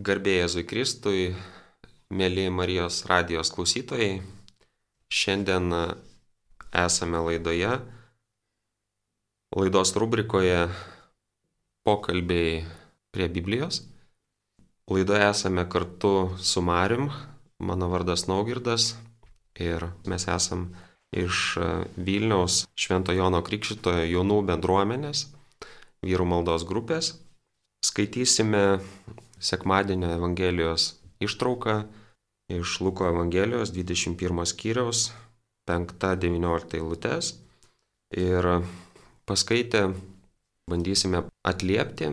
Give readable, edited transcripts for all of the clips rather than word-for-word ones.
Garbė Jėzui Kristui, mėly Marijos radijos klausytojai, šiandien esame laidos rubrikoje pokalbiai prie Biblijos. Laidoje esame kartu su Marium, mano vardas Naugirdas ir mes esam iš Vilniaus Švento Jono Krikštytojo jaunų bendruomenės, vyrų maldos grupės. Skaitysime sekmadienio Evangelijos ištrauką iš Luko Evangelijos 21 skyriaus 5-19 eilutes ir paskaitę bandysime atliepti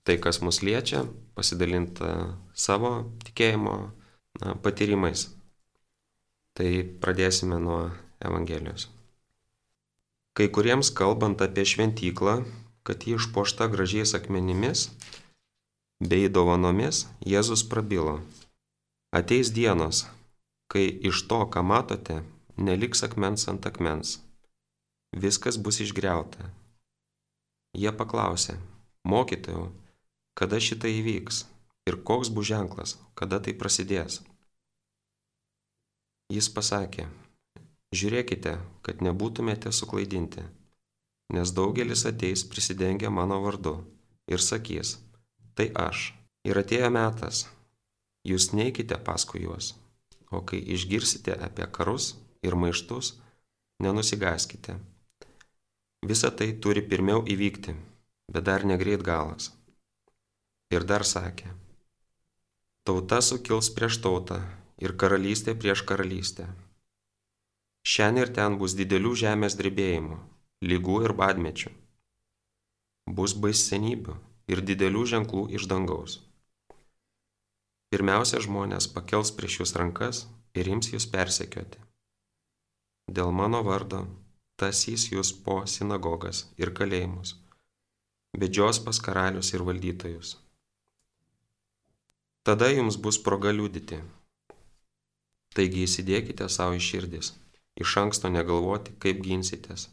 tai, kas mus liečia, pasidalinti savo tikėjimo patyrimais. Tai pradėsime nuo Evangelijos. Kai kuriems kalbant apie šventyklą, kad ji išpuošta gražiais akmenimis bei dovanomis, Jėzus prabilo: ateis dienos, kai iš to, ką matote, neliks akmens ant akmens. Viskas bus išgriauta. Jie paklausė: mokytojau, kada šitai įvyks ir koks bus ženklas, kada tai prasidės? Jis pasakė: žiūrėkite, kad nebūtumėte suklaidinti, nes daugelis ateis prisidengę mano vardu ir sakys: tai aš. Ir atėjo metas, jūs neikite paskui juos, o kai išgirsite apie karus ir maištus, nenusigaskite. Visa tai turi pirmiau įvykti, bet dar negreit galas. Ir dar sakė: tauta sukils prieš tautą ir karalystė prieš karalystę. Šiandien ir ten bus didelių žemės drebėjimų, ligų ir badmečių. Bus baisenybių ir didelių ženklų iš dangaus. Pirmiausia, žmonės pakels prieš jūs rankas ir ims jūs persekioti. Dėl mano vardo tasys jūs po sinagogas ir kalėjimus, vedžios pas karalius ir valdytojus. Tada jums bus proga liudyti. Taigi įsidėkite savo į širdis, iš anksto negalvoti, kaip ginsitės.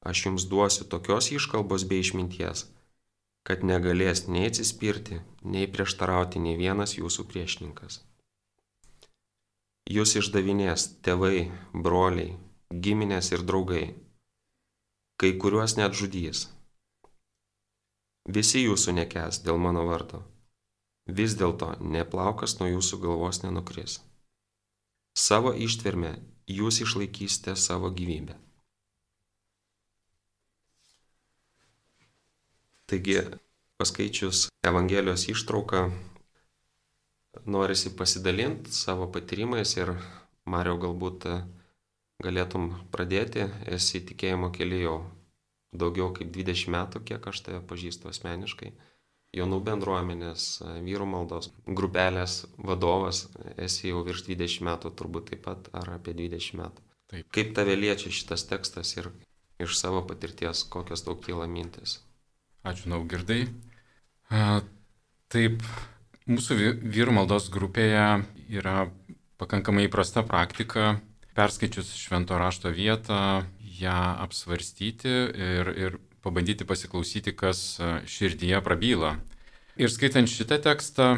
Aš jums duosiu tokios iškalbos bei išminties, kad negalės nei atsispirti, nei prieštarauti nei vienas jūsų priešininkas. Jūs išdavinės tėvai, broliai, giminės ir draugai, kai kuriuos net žudys. Visi jūsų nekęs dėl mano vardo. Vis dėlto ne plaukas nuo jūsų galvos nenukris. Savo ištverme jūs išlaikysite savo gyvybę. Taigi, paskaičius Evangelijos ištrauką, norisi pasidalinti savo patyrimais ir, Mariau, galbūt galėtum pradėti. Esi tikėjimo kely jau daugiau kaip 20 metų, kiek aš tave pažįstu asmeniškai. Jaunų bendruomenės, vyrų maldos grupelės vadovas, esi jau virš 20 metų, turbūt taip pat, ar apie 20 metų. Taip. Kaip tave liečia šitas tekstas ir iš savo patirties, kokios tau kyla mintis? Ačiū, Naugirdai. Taip, mūsų vyrų maldos grupėje yra pakankamai įprasta praktika, perskaičius švento rašto vietą, ją apsvarstyti ir pabandyti pasiklausyti, kas širdyje prabyla. Ir skaitant šitą tekstą,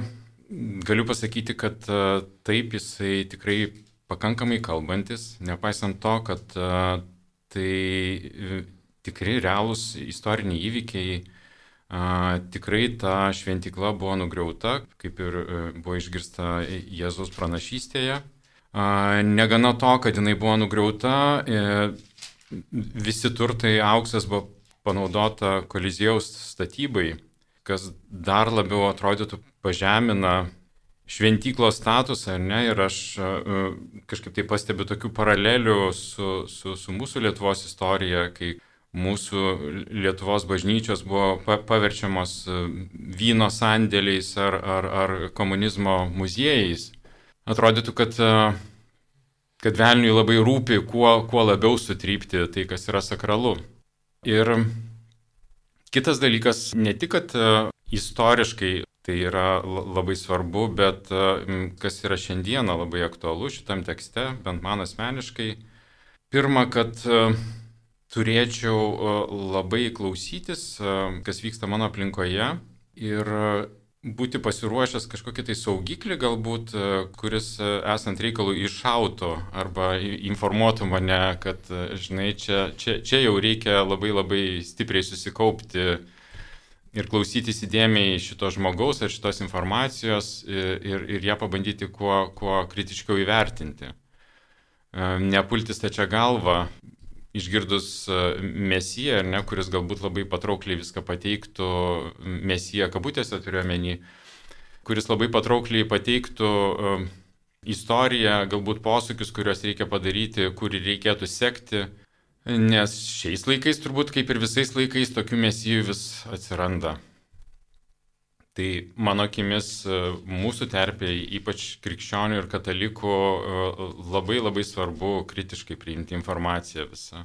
galiu pasakyti, kad taip, jisai tikrai pakankamai kalbantis, nepaisant to, kad tai tikrai realūs istoriniai įvykiai. Tikrai ta šventykla buvo nugriauta, kaip ir buvo išgirsta Jėzaus pranašystėje. Negana to, kad jinai buvo nugriauta, visi turtai, auksas buvo panaudota Koliziejaus statybai, kas dar labiau atrodytų pažemina šventyklos statusą, ar ne? Ir aš kažkaip tai pastebiu tokių paralelių su mūsų Lietuvos istorija, kai mūsų Lietuvos bažnyčios buvo paverčiamos vyno sandėliais ar komunizmo muziejais. Atrodytų, kad velniui labai rūpi kuo labiau sutrypti tai, kas yra sakralu. Ir kitas dalykas, ne tik, kad istoriškai tai yra labai svarbu, bet kas yra šiandieną labai aktualu šitam tekste, bent man asmeniškai. Pirma, kad turėčiau labai klausytis, kas vyksta mano aplinkoje ir būti pasiruošęs kažkokį tai saugiklį galbūt, kuris esant reikalui iššautų arba informuotų mane, kad, žinai, čia jau reikia labai labai stipriai susikaupti ir klausytis įdėmiai šito žmogaus ar šitos informacijos ir ją pabandyti kuo kritiškiau įvertinti. Nepulti stačia galva, išgirdus Mesiją, ar ne, kuris galbūt labai patraukliai viską pateiktų, Mesiją kabutėse turiuomenį, kuris labai patraukliai pateiktų istoriją, galbūt posūkius, kuriuos reikia padaryti, kurį reikėtų sekti, nes šiais laikais turbūt kaip ir visais laikais tokių Mesijų vis atsiranda. Tai mano akimis mūsų terpėje, ypač krikščionių ir katalikų, labai labai svarbu kritiškai priimti informaciją visą,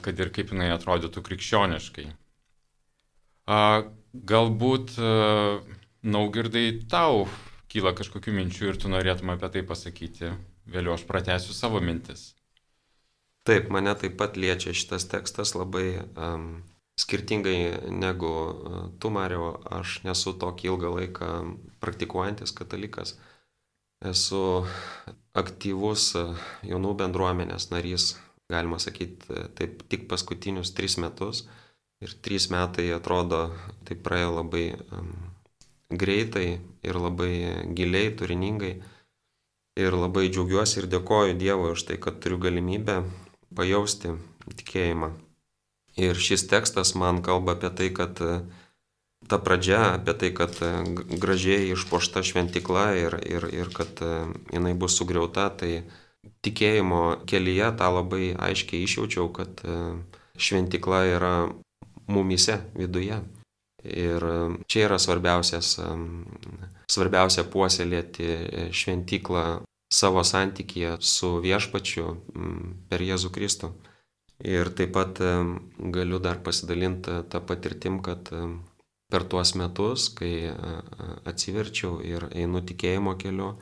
kad ir kaip jinai atrodytų krikščioniškai. Galbūt, Naugirdai, tau kyla kažkokių minčių ir tu norėtum apie tai pasakyti. Vėliau aš pratęsiu savo mintis. Taip, mane taip pat liečia šitas tekstas labai skirtingai negu tu, Mariau. Aš nesu tokį ilgą laiką praktikuojantis katalikas. Esu aktyvus jaunų bendruomenės narys, galima sakyti, taip tik paskutinius 3 metus. Ir 3 metai atrodo, tai praėjo labai greitai ir labai giliai, turiningai. Ir labai džiaugiuosi ir dėkoju Dievui už tai, kad turiu galimybę pajausti tikėjimą. Ir šis tekstas man kalba apie tai, kad ta pradžia, apie tai, kad gražiai išpuošta šventykla ir kad jinai bus sugriauta, tai tikėjimo kelyje tą labai aiškiai išjaučiau, kad šventykla yra mumyse viduje. Ir čia yra svarbiausia puoselėti šventyklą savo santykyje su Viešpačiu per Jėzų Kristų. Ir taip pat galiu dar pasidalinti tą patirtim, kad per tuos metus, kai atsiverčiau ir einu tikėjimo keliu,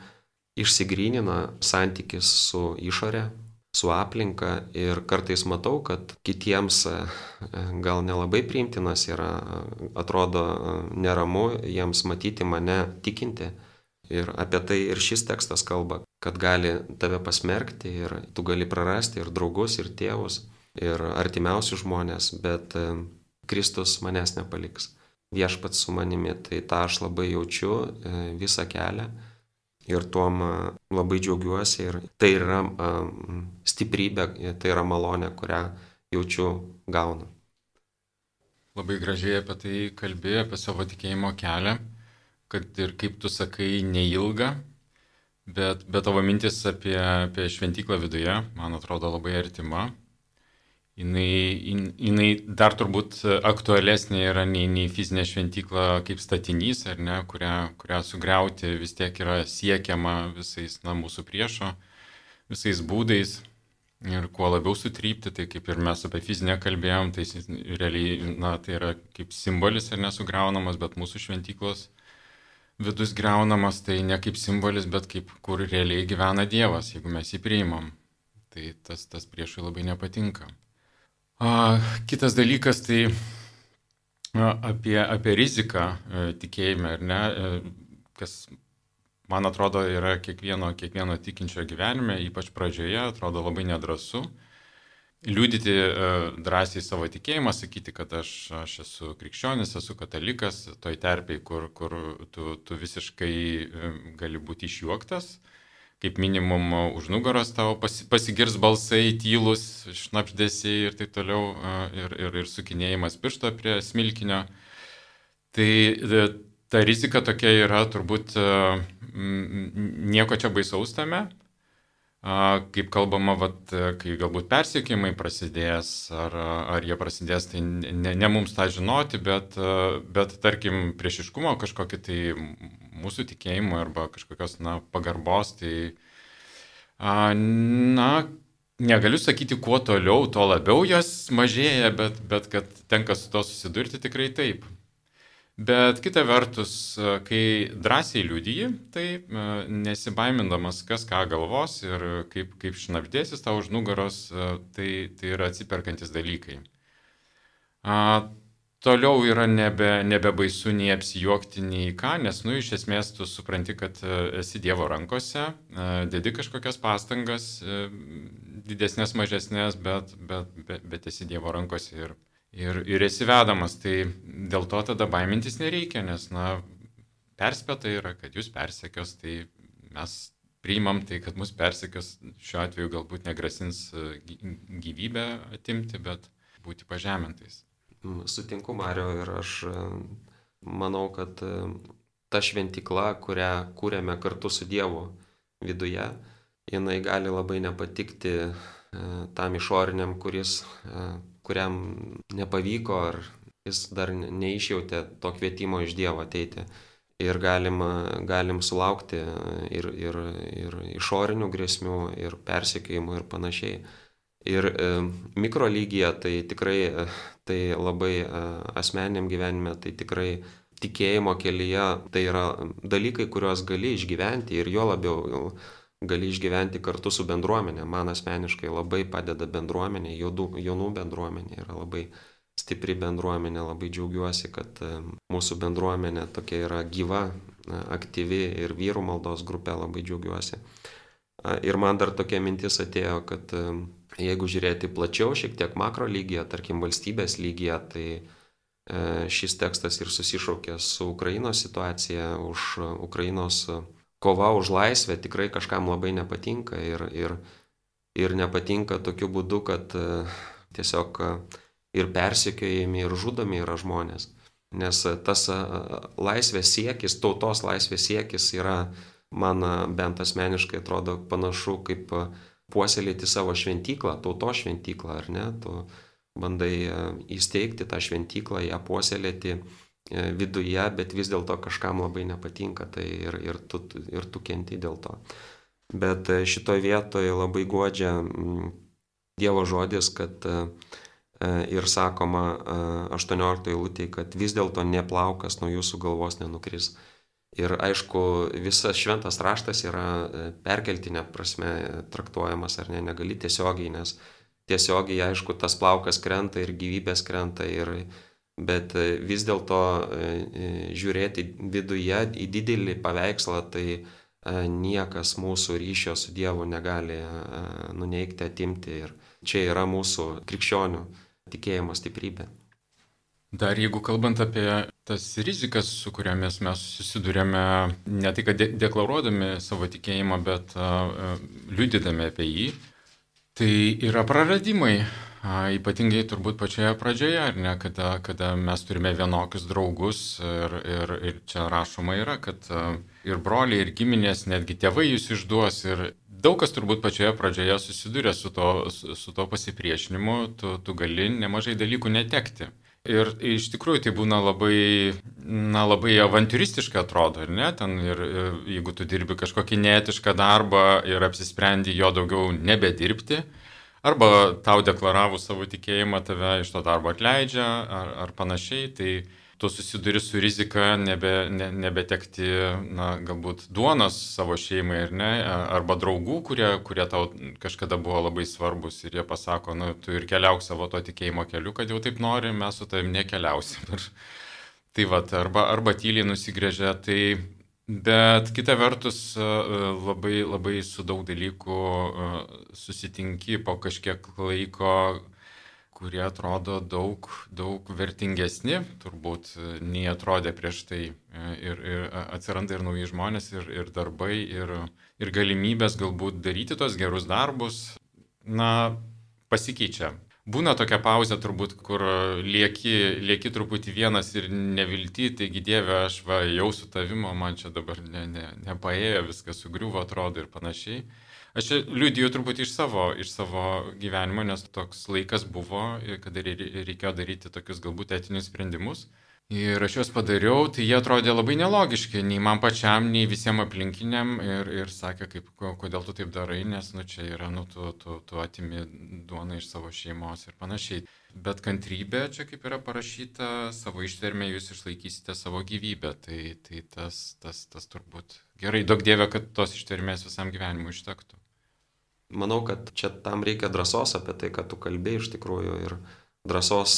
išsigrynina santykis su išore, su aplinka ir kartais matau, kad kitiems gal nelabai priimtinas yra, atrodo neramu jiems matyti mane tikinti. Ir apie tai ir šis tekstas kalba, kad gali tave pasmerkti ir tu gali prarasti ir draugus, ir tėvus, ir artimiausius žmonės, bet Kristus manęs nepaliks. Viešpats su manimi, tai tą aš labai jaučiu visą kelią ir tuom labai džiaugiuosi ir tai yra stiprybė, tai yra malonė, kurią jaučiu gaunu. Labai gražiai apie tai kalbėjai, apie savo tikėjimo kelią. Kad ir kaip tu sakai, neilga, bet tavo mintis apie šventyklą viduje, man atrodo, labai artima. Jinai dar turbūt aktualesnė yra nei fizinė šventykla kaip statinys, ar ne, kurią sugriauti vis tiek yra siekiama visais mūsų priešo, visais būdais. Ir kuo labiau sutrypti, tai kaip ir mes apie fizinę kalbėjom, tai realiai tai yra kaip simbolis ir nesugriaunamas, bet mūsų šventyklos vidus griaunamas, tai ne kaip simbolis, bet kaip kur realiai gyvena Dievas, jeigu mes jį priimam. Tai tas priešui labai nepatinka. Kitas dalykas, tai apie riziką tikėjime, ar ne, kas man atrodo yra kiekvieno tikinčio gyvenime, ypač pradžioje, atrodo labai nedrąsu. Liudyti drąsiai savo tikėjimą, sakyti, kad aš esu krikščionis, esu katalikas, toj terpėj, kur tu visiškai gali būti išjuoktas, kaip minimum už nugaros tavo pasigirs balsai, tylus, šnabždesiai ir taip toliau, ir sukinėjimas piršto prie smilkinio. Tai ta rizika tokia yra turbūt nieko čia baisaus tame. Kaip kalbama, kai galbūt persekiojimai prasidės, ar jie prasidės, tai ne mums tą žinoti, bet tarkim priešiškumo kažkokį tai mūsų tikėjimo arba kažkokios pagarbos, tai negaliu sakyti, kuo toliau, tuo labiau jos mažėja, bet kad tenka su to susidurti, tikrai taip. Bet kita vertus, kai drąsiai liudiji, tai nesibaimindamas, kas ką galvos ir kaip šnabždėsis tau už nugaros, tai yra atsiperkantis dalykai. toliau yra nebebaisu nei apsijuokti, nei ką, nes, iš esmės tu supranti, kad esi Dievo rankose, dedi kažkokias pastangas, didesnės, mažesnės, bet esi Dievo rankose ir esi vedamas. Tai dėl to tada baimintis nereikia, nes, perspėta yra, kad jūs persekios, tai mes priimam tai, kad mus persekios, šiuo atveju galbūt negrasins gyvybę atimti, bet būti pažemintais. Sutinku, Mario, ir aš manau, kad ta šventykla, kurią kūrėme kartu su Dievu viduje, jinai gali labai nepatikti tam išoriniam, kuriam nepavyko, ar jis dar neišjautė to kvietimo iš Dievo ateiti. Ir galim sulaukti ir išorinių grėsmių, ir persekiojimų, ir panašiai. Ir mikrolygyje tai tikrai, tai labai asmeniniam gyvenime, tai tikrai tikėjimo kelyje, tai yra dalykai, kuriuos gali išgyventi ir jo labiau gali išgyventi kartu su bendruomenė. Man asmeniškai labai padeda bendruomenė, jaunų bendruomenė yra labai stipri bendruomenė, labai džiaugiuosi, kad mūsų bendruomenė tokia yra gyva, aktyvi ir vyrų maldos grupė, labai džiaugiuosi. Ir man dar tokia mintis atėjo, kad jeigu žiūrėti plačiau, šiek tiek makro lygyje, tarkim valstybės lygyje, tai šis tekstas ir susišaukia su Ukrainos situacija, už Ukrainos kova už laisvę tikrai kažkam labai nepatinka ir nepatinka tokiu būdu, kad tiesiog ir persekiojami, ir žudomi yra žmonės. Nes tas laisvės siekis, tautos laisvės siekis yra, man bent asmeniškai atrodo panašu kaip puoselėti savo šventyklą, tautos šventyklą, ar ne? Tu bandai įsteigti tą šventyklą, ją puoselėti viduje, bet vis dėlto kažkam labai nepatinka, tai ir tu kenti dėl to. Bet šitoje vietoje labai guodžia Dievo žodis, kad ir sakoma 18 eilutėje, kad vis dėlto ne plaukas nuo jūsų galvos nenukris. Ir aišku, visas šventas raštas yra perkeltinė prasme traktuojamas, ar ne, negali tiesiogiai, nes tiesiogiai, aišku, tas plaukas krenta ir gyvybės krenta, bet vis dėlto žiūrėti viduje į didelį paveikslą, tai niekas mūsų ryšio su Dievu negali nuneigti, atimti. Ir čia yra mūsų krikščionių tikėjimo stiprybė. Dar jeigu kalbant apie tas rizikas, su kuriamis mes susidurėme, ne tai, kad deklaruodami savo tikėjimą, bet liudydami apie jį, tai yra praradimai. Ypatingai turbūt pačioje pradžioje, ar ne, kada mes turime vienokius draugus ir čia rašoma yra, kad ir broliai, ir giminės, netgi tėvai jūs išduos ir daug kas turbūt pačioje pradžioje susiduria su to pasipriešinimu, tu gali nemažai dalykų netekti. Ir iš tikrųjų tai būna labai avantūristiška atrodo, ar ne? Ten ir jeigu tu dirbi kažkokį neetišką darbą ir apsisprendi jo daugiau nebedirbti, arba tau deklaravus savo tikėjimą tave iš to darbo atleidžia, ar panašiai, tai tu susiduri su rizika nebetekti, galbūt duonos savo šeimai, ar ne, arba draugų, kurie tau kažkada buvo labai svarbus ir jie pasako, tu ir keliauk savo to tikėjimo keliu, kad jau taip nori, mes su tavim nekeliausim. Tai arba tyliai nusigrėžia, bet kita vertus labai su daug dalykų susitinki po kažkiek laiko, kurie atrodo daug vertingesni, turbūt nei atrodė prieš tai. Ir atsiranda ir nauji žmonės, ir darbai, ir galimybės galbūt daryti tos gerus darbus, pasikeičia. Būna tokia pauzė turbūt, kur lieki truputį vienas ir nevilti, taigi Dieve, aš jau su tavimo, man čia dabar nepaėjo, viskas sugriuvo, atrodo ir panašiai. Aš čia liudiju truputį iš savo gyvenimo, nes toks laikas buvo, kada reikėjo daryti tokius galbūt etinius sprendimus. Ir aš juos padariau, tai jie atrodė labai nelogiški, nei man pačiam, nei visiems aplinkiniam. Ir sakė, kodėl tu taip darai, nes čia yra, tu atimi duoną iš savo šeimos ir panašiai. Bet kantrybė, čia kaip yra parašyta, savo ištvermę jūs išlaikysite savo gyvybę. Tai tas turbūt gerai, duok Dieve, kad tos ištvermės visam gyvenimui užtektų. Manau, kad čia tam reikia drąsos apie tai, kad tu kalbėjai iš tikrųjų, ir drąsos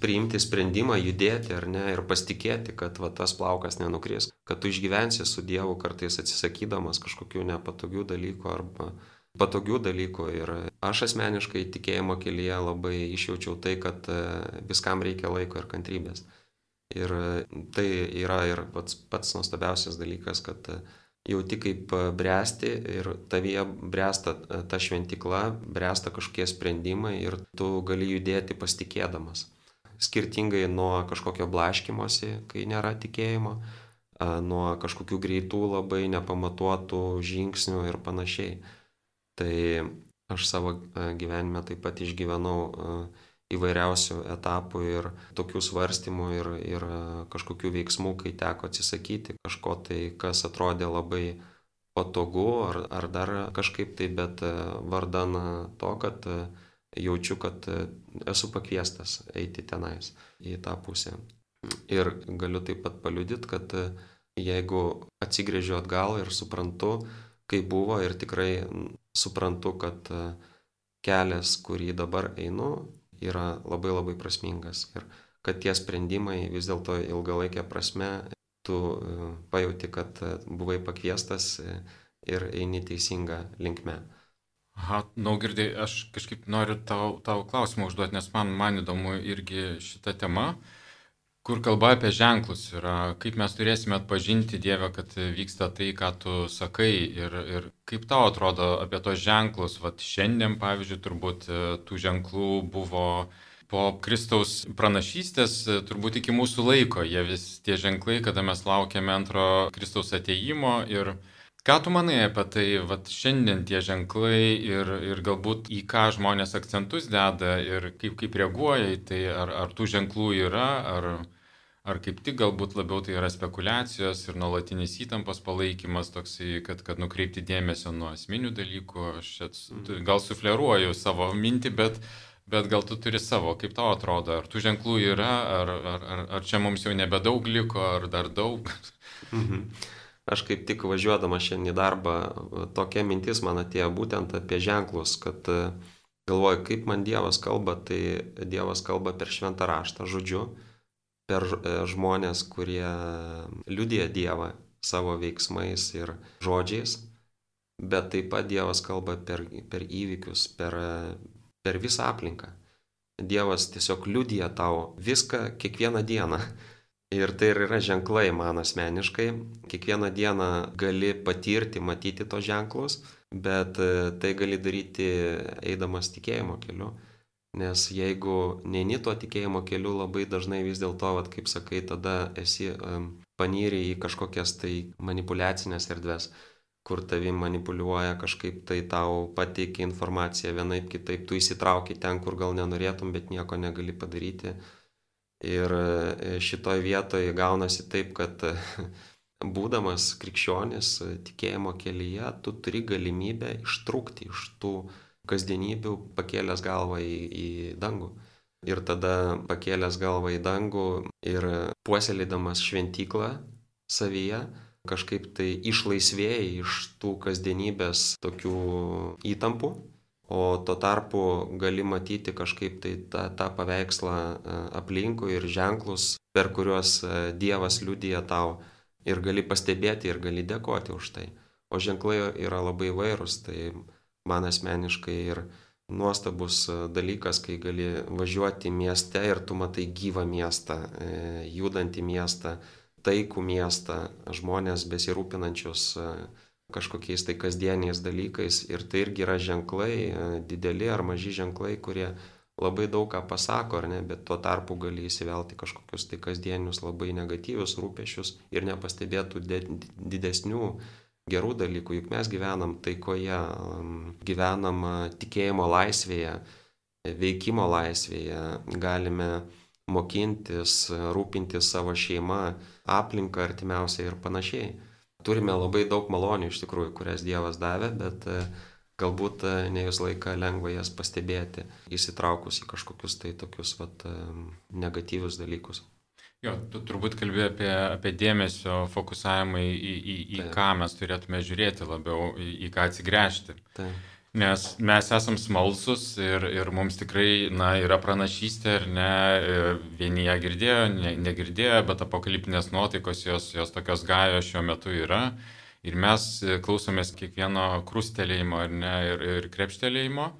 priimti sprendimą, judėti ar ne ir pasitikėti, kad va, tas plaukas nenukris, kad tu išgyvensi su Dievu kartais atsisakydamas kažkokių nepatogių dalykų arba patogių dalykų. Ir aš asmeniškai tikėjimo kelyje labai išjaučiau tai, kad viskam reikia laiko ir kantrybės. Ir tai yra ir pats nuostabiausias dalykas, kad jauti kaip bręsti ir tavyje bręsta ta šventykla, bręsta kažkokie sprendimai ir tu gali judėti pasitikėdamas. Skirtingai nuo kažkokio blaškymosi, kai nėra tikėjimo, nuo kažkokių greitų labai nepamatuotų žingsnių ir panašiai. Tai aš savo gyvenime taip pat išgyvenau įvairiausių etapų ir tokių svarstymų ir kažkokių veiksmų, kai teko atsisakyti kažko tai, kas atrodė labai patogu ar dar kažkaip tai, bet vardan to, kad jaučiu, kad esu pakviestas eiti tenais į tą pusę. Ir galiu taip pat paliudyti, kad jeigu atsigręžiu atgal ir suprantu, kaip buvo ir tikrai suprantu, kad kelias, kurį dabar einu, yra labai labai prasmingas ir kad tie sprendimai vis dėlto ilgalaikė prasme tu pajauti, kad buvai pakviestas ir eini teisinga linkme. Aha, Naugirdai, aš kažkaip noriu tau klausimą užduoti, nes man įdomu irgi šita tema, kur kalba apie ženklus yra, kaip mes turėsime atpažinti Dievę, kad vyksta tai, ką tu sakai ir kaip tau atrodo apie tos ženklus. Vat šiandien, pavyzdžiui, turbūt tų ženklų buvo po Kristaus pranašystės, turbūt iki mūsų laiko. Jie vis tie ženklai, kada mes laukiame antro Kristaus atėjimo. Ir ką tu manai apie tai, vat šiandien tie ženklai ir galbūt į ką žmonės akcentus deda ir kaip reaguoja į tai, ar tų ženklų yra, ar kaip tik galbūt labiau tai yra spekulacijos ir nuolatinis įtampos palaikymas toksai, kad nukreipti dėmesio nuo esminių dalykų. Aš gal sufleruoju savo mintį, bet gal tu turi savo, kaip tau atrodo, ar tų ženklų yra, ar čia mums jau nebedaug liko, ar dar daug? Aš kaip tik važiuodama šiandien į darbą, tokia mintis man atėjo būtent apie ženklus, kad galvoju, kaip man Dievas kalba, tai Dievas kalba per šventą raštą, žodžiu, per žmonės, kurie liudija Dievą savo veiksmais ir žodžiais, bet taip pat Dievas kalba per įvykius, per visą aplinką. Dievas tiesiog liudija tau viską kiekvieną dieną. Ir tai yra ženklai man asmeniškai. Kiekvieną dieną gali patirti, matyti tos ženklus, bet tai gali daryti eidamas tikėjimo keliu. Nes jeigu neini tuo tikėjimo keliu, labai dažnai vis dėlto, kaip sakai, tada esi panyri į kažkokias tai manipuliacinės erdves, kur tavi manipuliuoja kažkaip tai tau pateikia informaciją vienaip kitaip, tu įsitrauki ten, kur gal nenorėtum, bet nieko negali padaryti. Ir šitoj vietoje gaunasi taip, kad būdamas krikščionis tikėjimo kelyje, tu turi galimybę ištrūkti iš tų kasdienybių, pakėlęs galvą į dangų. Ir tada pakėlęs galvą į dangų ir puoselėdamas šventyklą savyje, kažkaip tai išlaisvėjai iš tų kasdienybės tokių įtampų, o tuo tarpu gali matyti kažkaip tai tą paveikslą aplinkui ir ženklus, per kuriuos Dievas liudija tau ir gali pastebėti ir gali dėkoti už tai. O ženklai yra labai įvairūs, tai man asmeniškai ir nuostabus dalykas, kai gali važiuoti mieste ir tu matai gyvą miestą, judantį miestą, taikų miestą, žmonės besirūpinančius kažkokiais tai kasdieniais dalykais. Ir tai irgi yra ženklai, dideli ar maži ženklai, kurie labai daug ką pasako, ar ne, bet tuo tarpu gali įsivelti kažkokius tai kasdienius labai negatyvius rūpesčius ir nepastebėtų didesnių gerų dalykų, juk mes gyvenam taikoje, gyvenam tikėjimo laisvėje, veikimo laisvėje, galime mokintis, rūpintis savo šeimą, aplinką artimiausiai ir panašiai. Turime labai daug malonių iš tikrųjų, kurias Dievas davė, bet galbūt ne visą laiką lengva jas pastebėti, įsitraukus į kažkokius tai tokius negatyvius dalykus. Jo, tu turbūt kalbėjai apie dėmesio fokusavimą į ką mes turėtume žiūrėti labiau, į ką atsigręžti. Nes mes esam smalsus ir mums tikrai, yra pranašystė, ar ne, vieni ją girdėjo, negirdėjo, bet apokaliptinės nuotaikos jos tokios gajos šiuo metu yra. Ir mes klausomės kiekvieno krustelėjimo, ar ne, ir krepštelėjimo,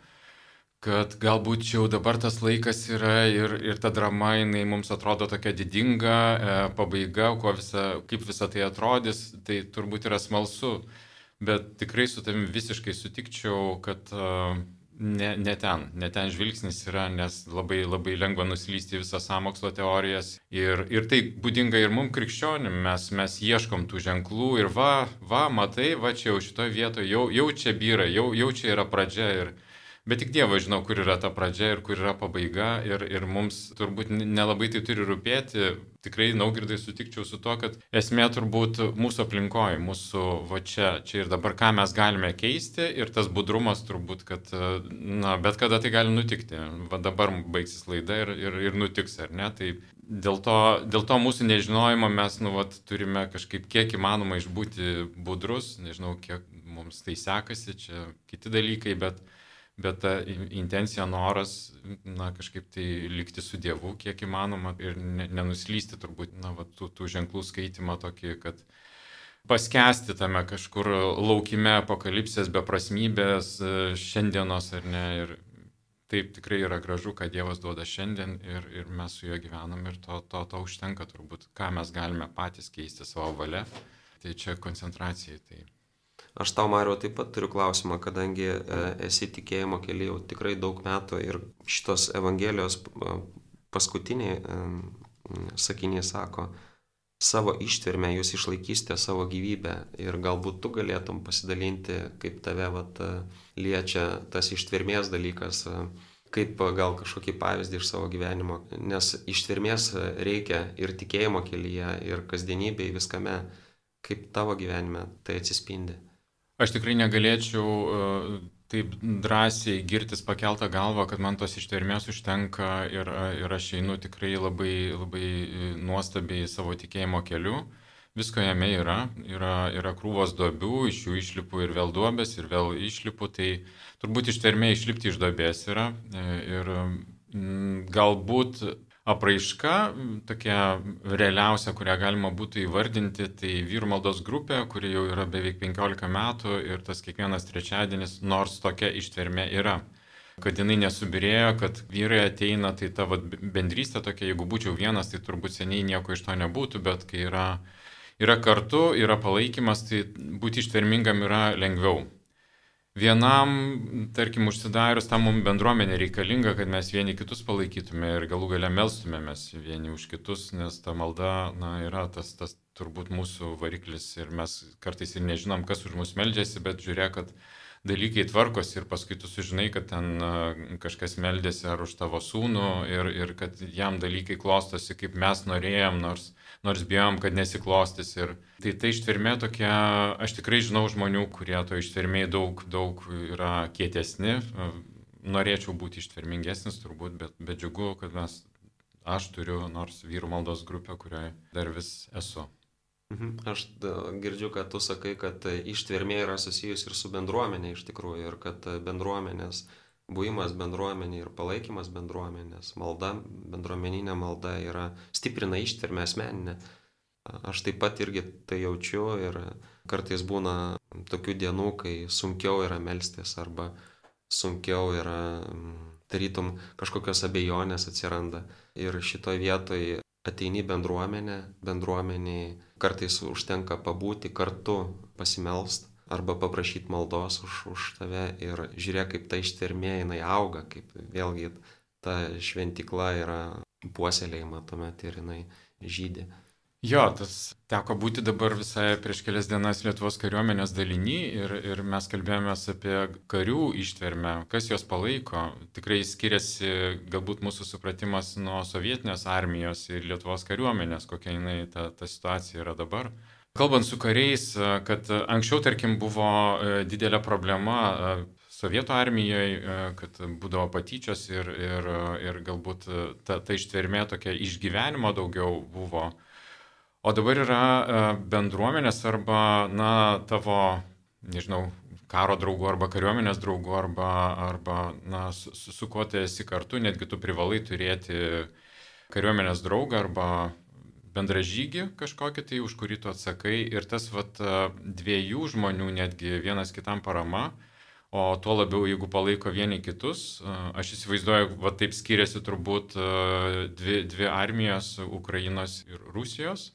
kad galbūt jau dabar tas laikas yra ir ta drama, jinai mums atrodo tokia didinga, pabaiga, kaip visa tai atrodys, tai turbūt yra smalsu. Bet tikrai su tavim visiškai sutikčiau, kad ne ten žvilgsnis yra, nes labai, labai lengva nuslysti visas sąmokslo teorijas. Ir tai būdinga ir mums krikščionim, mes ieškom tų ženklų ir matai, čia jau šitoje vietoje, jau čia byra, jau čia yra pradžia. Bet tik Dievas žino, kur yra ta pradžia ir kur yra pabaiga. Ir mums turbūt nelabai tai turi rūpėti. Tikrai, Naugirdai, sutikčiau su to, kad esmė turbūt mūsų aplinkoje, mūsų čia ir dabar, ką mes galime keisti. Ir tas budrumas turbūt, kad bet kada tai gali nutikti. Dabar baigsis laida ir nutiks, ar ne? Tai dėl to mūsų nežinojimo mes turime kažkaip kiek įmanoma išbūti budrus. Nežinau, kiek mums tai sekasi, čia kiti dalykai, bet ta intencija, noras, kažkaip tai likti su Dievu, kiek įmanoma ir nenuslysti turbūt, tų ženklų skaitimą tokį, kad paskesti tame kažkur laukime apokalipsės, beprasmybės, šiandienos, ar ne. Ir taip tikrai yra gražu, kad Dievas duoda šiandien ir mes su juo gyvenam ir to užtenka turbūt, ką mes galime patys keisti savo valia. Tai čia koncentracijai. Tai. Aš tau, Mariau, taip pat turiu klausimą, kadangi esi tikėjimo kely jau tikrai daug metų ir šitos Evangelijos paskutiniai sakiniai sako, savo ištvermę jūs išlaikysite savo gyvybę ir galbūt tu galėtum pasidalinti, kaip tave liečia tas ištvermės dalykas, kaip gal kažkokį pavyzdį iš savo gyvenimo, nes ištvermės reikia ir tikėjimo kelyje, ir kasdienybėje, viskame, kaip tavo gyvenime tai atsispindi. Aš tikrai negalėčiau taip drąsiai girtis pakeltą galvą, kad man tos ištvermės užtenka ir aš einu tikrai labai, labai nuostabiai savo tikėjimo keliu. Visko jame yra krūvos duobių, iš jų išlipu ir vėl duobės, ir vėl išlipu, tai turbūt ištvermė išlipti iš duobės yra. Ir galbūt apraiška, tokia realiausia, kurią galima būtų įvardinti, tai vyrų maldos grupė, kuri jau yra beveik 15 metų ir tas kiekvienas trečiadienis, nors tokia ištvermė yra. Kad jinai nesubirėjo, kad vyrai ateina, tai ta bendrystė tokia, jeigu būčiau vienas, tai turbūt seniai nieko iš to nebūtų, bet kai yra kartu, yra palaikymas, tai būti ištvermingam yra lengviau. Vienam, tarkim, užsidarius, tam mums bendruomenė reikalinga, kad mes vieni kitus palaikytume ir galų gale melstumėmės vieni už kitus, nes ta malda yra tas turbūt mūsų variklis ir mes kartais ir nežinom, kas už mus meldžiasi, bet žiūrėk, kad dalykai tvarkosi ir paskui tu sužinai, kad ten kažkas meldėsi ar už tavo sūnų ir kad jam dalykai klostosi, kaip mes norėjom, nors bijom, kad nesiklostys. Ir tai ištvermė tokia, aš tikrai žinau žmonių, kurie to ištvermėje daug yra kietesni. Norėčiau būti ištvermingesnis turbūt, bet džiugu, kad aš turiu nors vyrų maldos grupę, kurioje dar vis esu. Aš girdžiu, kad tu sakai, kad ištvermė yra susijus ir su bendruomenė iš tikrųjų, ir kad bendruomenės buvimas bendruomenė ir palaikymas bendruomenės, malda, bendruomeninė malda stiprina ištvermę asmeninę. Aš taip pat irgi tai jaučiu ir kartais būna tokių dienų, kai sunkiau yra melstis arba sunkiau yra, tarytum, kažkokios abejonės atsiranda. Ir šitoj vietoj ateini bendruomeniai kartais užtenka pabūti kartu, pasimelst arba paprašyti maldos už tave ir žiūrėk, kaip ta ištvermė jinai auga, kaip vėlgi ta šventykla yra puoselėjama tuomet ir jinai žydi. Jo, tas teko būti dabar visai prieš kelias dienas Lietuvos kariuomenės daliny ir mes kalbėjomės apie karių ištvermę, kas jos palaiko. Tikrai skiriasi galbūt mūsų supratimas nuo sovietinės armijos ir Lietuvos kariuomenės, kokia jinai ta situacija yra dabar. Kalbant su kariais, kad anksčiau, tarkim, buvo didelė problema sovietų armijoje, kad būdavo patyčios ir galbūt ta ištvermė tokia išgyvenimo daugiau buvo. O dabar yra bendruomenės arba, tavo, nežinau, karo draugu arba kariuomenės draugu arba na, su kuo tu esi kartu, netgi tu privalai turėti kariuomenės draugą arba bendražygį kažkokį tai, už kurį tu atsakai. Ir tas vat, dviejų žmonių netgi vienas kitam parama, o tuo labiau, jeigu palaiko vieni kitus, aš įsivaizduoju, va taip skiriasi turbūt dvi armijos, Ukrainos ir Rusijos,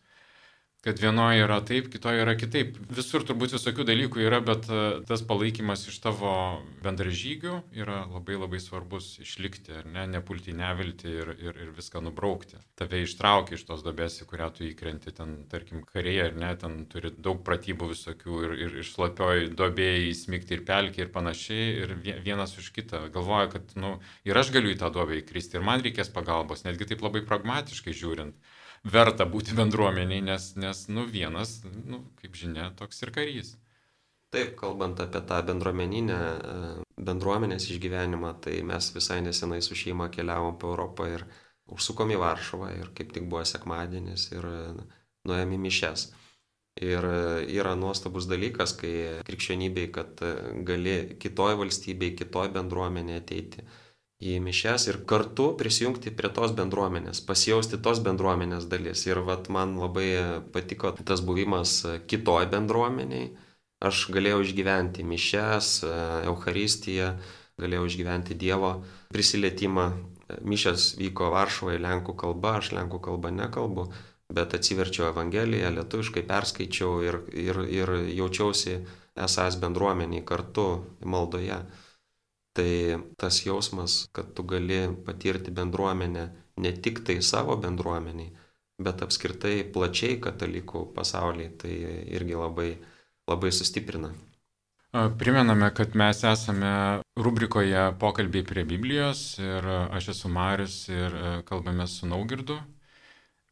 kad vienoje yra taip, kitoje yra kitaip. Visur turbūt visokių dalykų yra, bet tas palaikymas iš tavo bendražygių yra labai labai svarbus išlikti, ar ne, nepulti į neviltį ir viską nubraukti. Tave ištraukia iš tos duobės, į kurią tu įkrenti, ten, tarkim, kariai, ar ne, ten turi daug pratybų visokių ir iš šlapioj duobėjai įsmigti ir pelkį ir panašiai, ir vienas už kitą galvoja, kad, nu, ir aš galiu į tą duobę įkristi, ir man reikės pagalbos, netgi taip labai pragmatiškai žiūrint. Verta būti bendruomeniai, nes nu, vienas, nu, kaip žinia, toks ir karys. Taip, kalbant apie tą bendruomenės išgyvenimą, tai mes visai nesenai su šeima keliavom po Europą ir užsukom į Varšuvą ir kaip tik buvo sekmadienis ir nuėjom į mišias. Ir yra nuostabus dalykas, kai krikščionybei, kad gali kitoj valstybei, kitoj bendruomenėje ateiti į mišias ir kartu prisijungti prie tos bendruomenės, pasijausti tos bendruomenės dalis. Ir vat man labai patiko tas buvimas kitoj bendruomeniai. Aš galėjau išgyventi mišias, Eucharistiją, galėjau išgyventi Dievo prisilietimą. Mišias vyko Varšuvoje lenkų kalba, aš lenkų kalbą nekalbu, bet atsiverčiau Evangeliją, lietuviškai perskaičiau ir jaučiausi esąs bendruomeniai kartu maldoje. Tai tas jausmas, kad tu gali patirti bendruomenę ne tik tai savo bendruomeniai, bet apskritai plačiai katalikų pasaulyje, tai irgi labai, labai sustiprina. Primename, kad mes esame rubrikoje Pokalbiai prie Biblijos ir aš esu Marius ir kalbame su Naugirdu.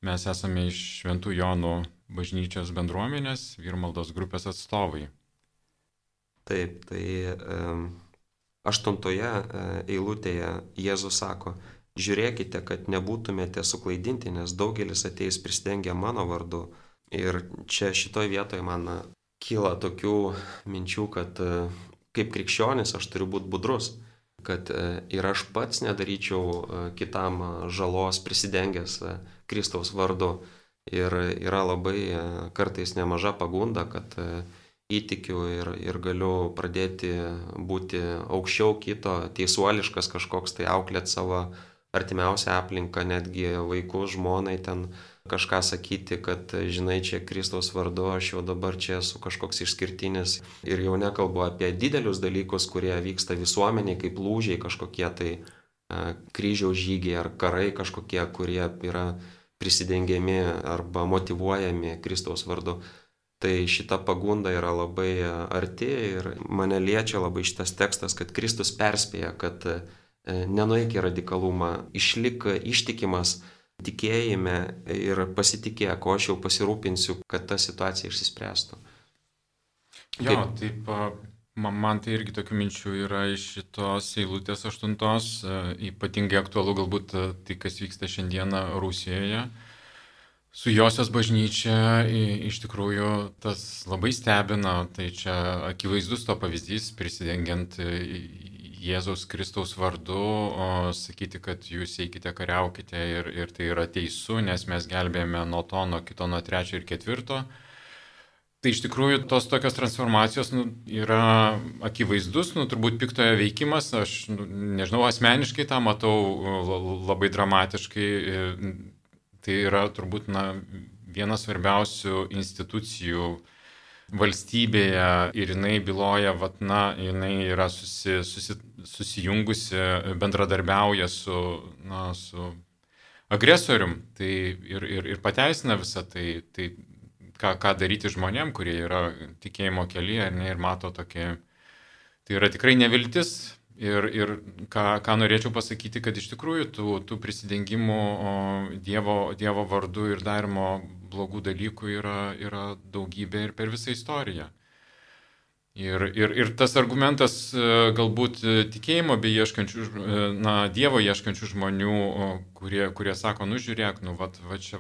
Mes esame iš Šventų Jonų bažnyčios bendruomenės Vyrmaldos grupės atstovai. Taip, tai 8 eilutėje Jėzus sako, žiūrėkite, kad nebūtumėte suklaidinti, nes daugelis ateis prisidengę mano vardu. Ir čia šitoje vietoje man kyla tokių minčių, kad kaip krikščionis aš turiu būti budrus, kad ir aš pats nedaryčiau kitam žalos prisidengęs Kristaus vardu. Ir yra labai kartais nemaža pagunda, kad įtikiu ir galiu pradėti būti aukščiau kito, teisuoliškas kažkoks, tai auklėti savo artimiausią aplinką, netgi vaikų, žmonai ten kažką sakyti, kad žinai, čia Kristaus vardu, aš jau dabar čia esu kažkoks išskirtinis. Ir jau nekalbu apie didelius dalykus, kurie vyksta visuomeniai, kaip lūžiai kažkokie tai kryžiaus žygiai ar karai kažkokie, kurie yra prisidengiami arba motyvuojami Kristaus vardu. Tai šita pagunda yra labai arti ir mane liečia labai šitas tekstas, kad Kristus perspėja, kad nenueik į radikalumą, išlik ištikimas tikėjime ir pasitikėk, o aš jau pasirūpinsiu, kad ta situacija išsispręstų. Jo, taip, man tai irgi tokių minčių yra iš šitos eilutės 8, ypatingai aktualu galbūt tai, kas vyksta šiandieną Rusijoje. Su Josios bažnyčia iš tikrųjų tas labai stebina, tai čia akivaizdus to pavyzdys, prisidengiant Jėzaus Kristaus vardu, sakyti, kad jūs eikite kariaukite ir tai yra teisų, nes mes gelbėjame nuo to, nuo kito, nuo 3 ir 4. Tai iš tikrųjų tos tokios transformacijos yra akivaizdus, turbūt piktojo veikimas, aš nežinau, asmeniškai tą matau labai dramatiškai. Tai yra turbūt viena svarbiausių institucijų valstybėje ir jinai byloja, jinai yra susijungusi, bendradarbiauja su agresorium, tai ir pateisina visą tai ką daryti žmonėm, kurie yra tikėjimo kelyje ir mato tokie, tai yra tikrai neviltis. Ir ką norėčiau pasakyti, kad iš tikrųjų tų prisidengimų Dievo vardu ir darimo blogų dalykų yra daugybė ir per visą istoriją. Ir tas argumentas galbūt tikėjimo bei ieškančių, Dievo ieškančių žmonių, kurie sako, žiūrėk, čia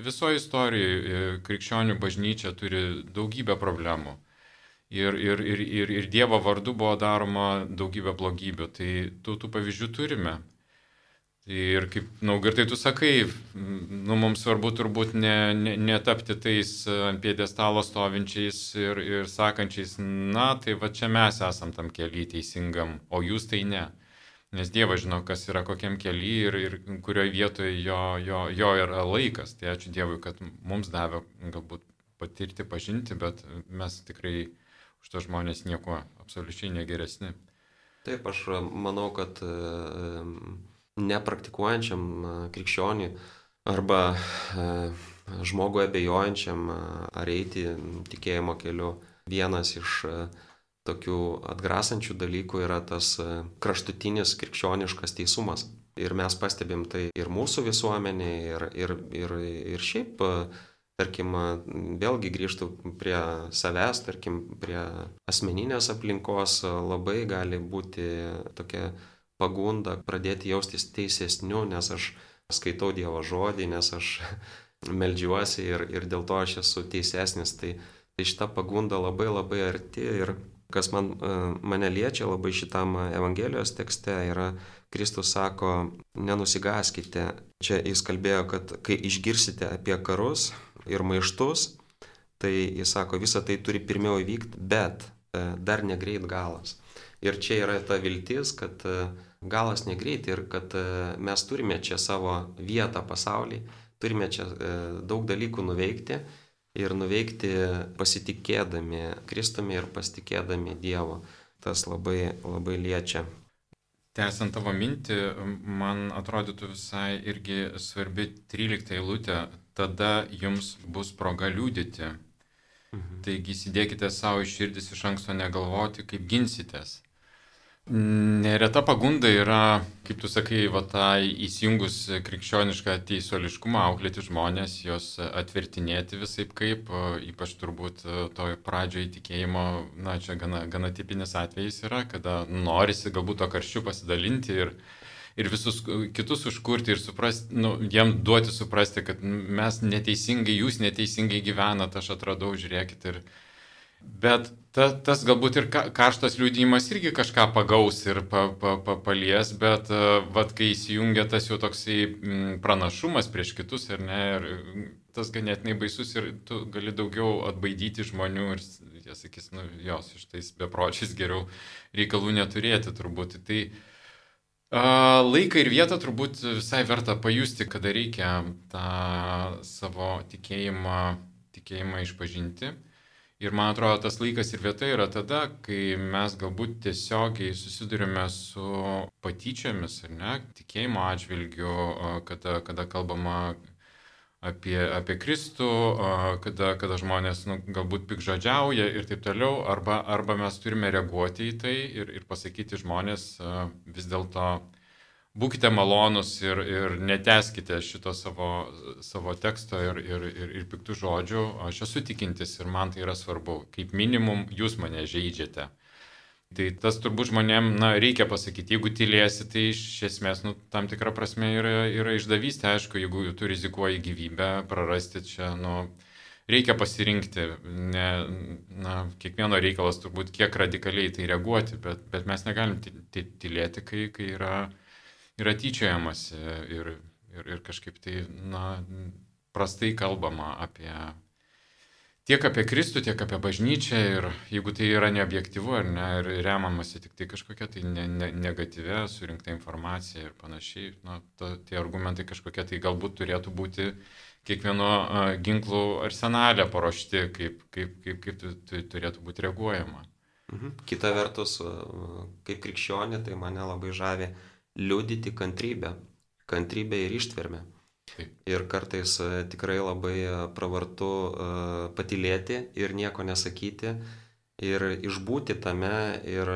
visoje istorijoje krikščionių bažnyčia turi daugybę problemų. ir Dievo vardu buvo daroma daugybė blogybių. Tai tų pavyzdžių turime. Ir kaip, Girtai, tu sakai, mums svarbu turbūt netapti tais ant pjedestalo stovinčiais ir sakančiais, tai va čia mes esam tam kely teisingam, o jūs tai ne. Nes Dievas žino, kas yra kokiam kely ir kurioje vietoje jo yra laikas. Tai ačiū Dievui, kad mums davė galbūt patirti, pažinti, bet mes tikrai už to žmonės nieko absoliučiai negeresni. Taip, aš manau, kad nepraktikuojančiam krikščioniui arba žmogui abejojančiam ar eiti tikėjimo keliu, vienas iš tokių atgrasančių dalykų yra tas kraštutinis krikščioniškas teisumas. Ir mes pastebim tai ir mūsų visuomenėje, ir šiaip, tarkim, vėlgi grįžtų prie savęs, tarkim, prie asmeninės aplinkos, labai gali būti tokia pagunda pradėti jaustis teisesniu, nes aš skaitau Dievo žodį, nes aš meldžiuosi ir dėl to aš esu teisesnis. Tai šita pagunda labai labai arti ir kas mane liečia labai šitam Evangelijos tekste yra, Kristus sako, nenusigaskite. Čia jis kalbėjo, kad kai išgirsite apie karus ir maištus, tai jis sako, visa tai turi pirmiau įvykti, bet dar negreit galas. Ir čia yra ta viltis, kad galas negreit ir kad mes turime čia savo vietą pasaulyje, turime čia daug dalykų nuveikti ir nuveikti pasitikėdami Kristumi ir pasitikėdami Dievu. Tas labai, labai liečia. Tęsiant tavo mintį, man atrodytų visai irgi svarbi 13 eilutė, tada jums bus proga liudyti. Taigi įsidėkite savo iš širdis iš anksto negalvoti, kaip ginsitės. Nereta pagunda yra, kaip tu sakai, įsijungus krikščionišką teisuoliškumą, auklėti žmonės, jos atvertinėti visaip kaip, ypač turbūt toj pradžioje tikėjimo, čia gana tipinis atvejis yra, kada norisi galbūt to karščiu pasidalinti ir visus kitus užkurti ir suprasti, jiem duoti suprasti, kad mes neteisingai, jūs neteisingai gyvenat, aš atradau, žiūrėkit Bet tas galbūt ir karštas liudijimas irgi kažką pagaus ir palies, bet kai įsijungia tas jau toksai pranašumas prieš kitus ir tas ganėtinai baisus ir tu gali daugiau atbaidyti žmonių ir jie sakys, jos iš tais bepročiais geriau reikalų neturėti turbūt. Tai laiką ir vietą turbūt visai verta pajusti, kada reikia tą savo tikėjimą išpažinti. Ir man atrodo, tas laikas ir vieta yra tada, kai mes galbūt tiesiogiai susidurime su patyčiomis, tikėjimo atžvilgiu, kada kalbama apie Kristų, kada žmonės galbūt pikžodžiauja ir taip toliau, arba mes turime reaguoti į tai ir pasakyti žmonės vis dėlto būkite malonus ir neteskite šito savo teksto ir piktų žodžių. Aš esu tikintis ir man tai yra svarbu. Kaip minimum, jūs mane žeidžiate. Tai tas turbūt žmonėm, reikia pasakyti. Jeigu tylėsi, tai iš esmės, tam tikra prasme yra išdavystė. Aišku, jeigu tu rizikuoji gyvybę, prarasti čia, reikia pasirinkti. Kiekvieno reikalas turbūt kiek radikaliai tai reaguoti, bet mes negalim tylėti, kai yra tyčiojamasi ir kažkaip tai, prastai kalbama tiek apie Kristų, tiek apie bažnyčią ir jeigu tai yra neobjektyvu ir remamasi tik tai kažkokia tai negatyvia surinkta informacija ir panašiai, tie argumentai kažkokie tai galbūt turėtų būti kiekvieno ginklų arsenale paruošti, kaip turėtų būti reaguojama. Kita vertus, kaip krikščionė, tai mane labai žavi liudyti kantrybę ir ištvermę. Ir kartais tikrai labai pravartu patylėti ir nieko nesakyti ir išbūti tame ir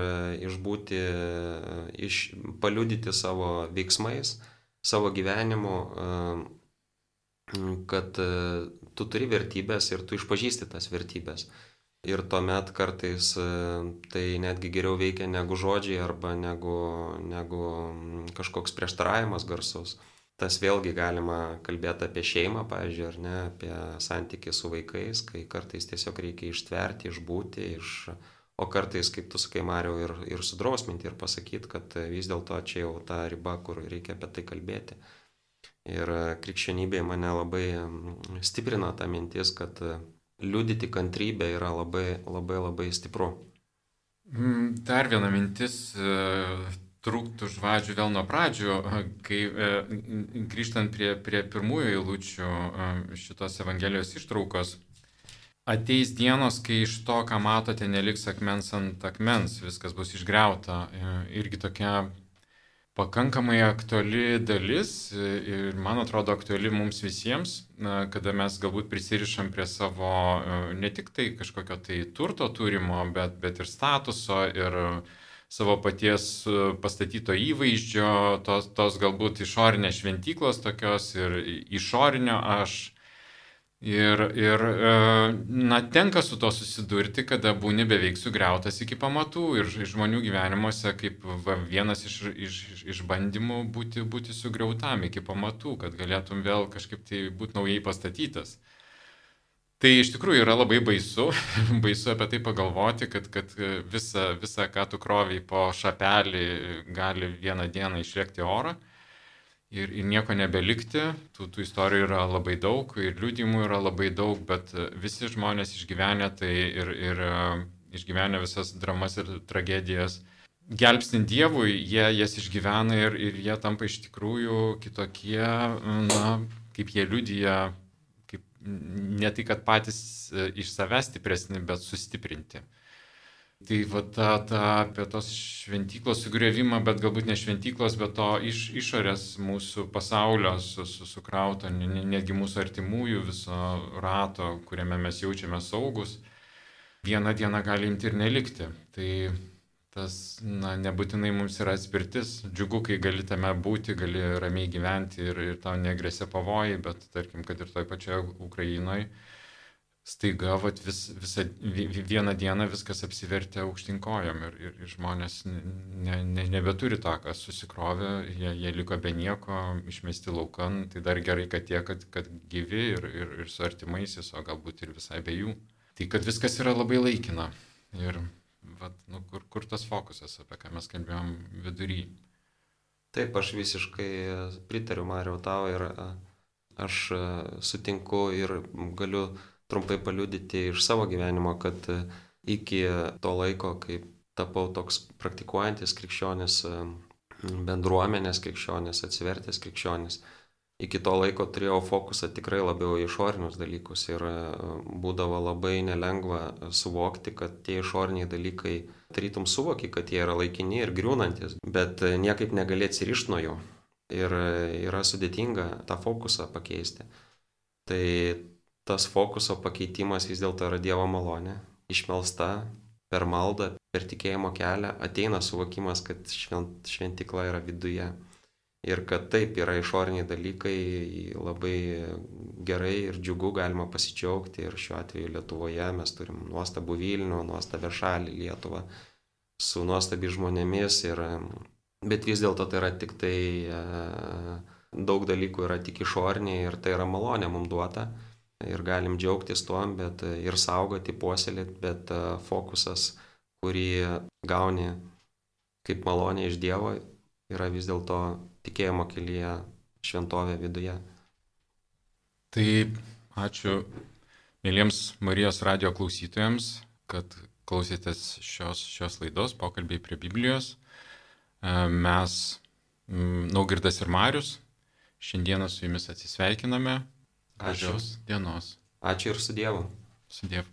paliudyti savo veiksmais, savo gyvenimu, kad tu turi vertybės ir tu išpažįsti tas vertybės. Ir tuomet kartais tai netgi geriau veikia negu žodžiai arba negu kažkoks prieštaravimas garsus. Tas vėlgi galima kalbėti apie šeimą, pavyzdžiui, ar ne, apie santykį su vaikais, kai kartais tiesiog reikia ištverti, išbūti, o kartais, kaip tu sakai, Mariau, ir sudrausminti ir pasakyti, kad vis dėlto čia jau ta riba, kur reikia apie tai kalbėti. Ir krikščionybėje mane labai stiprina ta mintis, kad liudyti kantrybę yra labai stipru. Dar viena mintis, trūktų žvadžių vėl nuo pradžių, kai grįžtant prie pirmųjų eilučių šitos Evangelijos ištraukos, ateis dienos, kai iš to, ką matote, neliks akmens ant akmens, viskas bus išgriauta. Irgi tokia pakankamai aktuali dalis ir, man atrodo, aktuali mums visiems, kada mes galbūt prisirišam prie savo ne tik tai kažkokio tai turto turimo, bet ir statuso ir savo paties pastatyto įvaizdžio, tos galbūt išorinės šventyklos tokios ir išorinio aš. Ir tenka su to susidurti, kada būni beveik sugriautas iki pamatų ir žmonių gyvenimuose kaip vienas iš išbandymų būti sugriautam iki pamatų, kad galėtum vėl kažkaip tai būti naujai pastatytas. Tai iš tikrųjų yra labai baisu apie tai pagalvoti, kad visa, ką tu kroviai po šapelį, gali vieną dieną išlėkti orą. Ir nieko nebelikti, tų istorijų yra labai daug ir liudijimų yra labai daug, bet visi žmonės išgyvenę tai ir išgyvenę visas dramas ir tragedijas. Gelbstint Dievui, jie jas išgyvena ir jie tampa iš tikrųjų kitokie, kaip jie liudija, kaip ne tai, kad patys iš savęs stipresni, bet sustiprinti. Tai apie tos šventyklos sugriovimą, bet galbūt ne šventyklos, bet to išorės mūsų pasaulio sukrauto, netgi mūsų artimųjų viso rato, kuriame mes jaučiame saugus, vieną dieną gali imti ir nelikti. Tai tas nebūtinai mums yra atspirtis. Džiugu, kai gali tame būti, gali ramiai gyventi ir tau negresia pavojai, bet tarkim, kad ir toj pačioje Ukrainoje staiga vieną dieną viskas apsivertė aukštyn kojom ir žmonės nebeturi tą, kas susikrovė, jie liko be nieko, išmesti laukan, tai dar gerai, kad gyvi ir su artimaisiais, o galbūt ir visai be jų. Tai kad viskas yra labai laikina ir kur tas fokusas, apie ką mes kalbėjom vidury. Taip, aš visiškai pritariu, Mariau, tau ir aš sutinku ir galiu trumpai paliudyti iš savo gyvenimo, kad iki to laiko, kai tapau toks praktikuojantis krikščionis, bendruomenės krikščionis, atsivertęs krikščionis, iki to laiko turėjau fokusą tikrai labiau į išorinius dalykus ir būdavo labai nelengva suvokti, kad tie išoriniai dalykai, tarytum suvoki, kad jie yra laikini ir griūnantis, bet niekaip negali atsirišti nuo jų ir yra sudėtinga tą fokusą pakeisti. Tai tas fokuso pakeitimas vis dėlto yra Dievo malonė, išmelsta per maldą, per tikėjimo kelią, ateina suvokimas, kad šventykla yra viduje. Ir kad taip yra išoriniai dalykai, labai gerai ir džiugu galima pasidžiaugti. Ir šiuo atveju Lietuvoje mes turim nuostabų Vilnių, nuostabę šalį Lietuvą, su nuostabi žmonėmis. Bet vis dėlto tai yra tik tai, daug dalykų yra tik išoriniai ir tai yra malonė mums duota. Ir galim džiaugtis tuom, bet ir saugoti, puoselėti, bet fokusas, kurį gauni kaip malonė iš Dievo, yra vis dėlto tikėjimo kelyje šventovė viduje. Tai ačiū mėlyms Marijos radijo klausytojams, kad klausėtės šios laidos pokalbiai prie Biblijos. Mes, Naugirdas ir Marius, šiandieną su jumis atsisveikiname. Gražios dienos. Ačiū ir su Dievu. Su Dievu.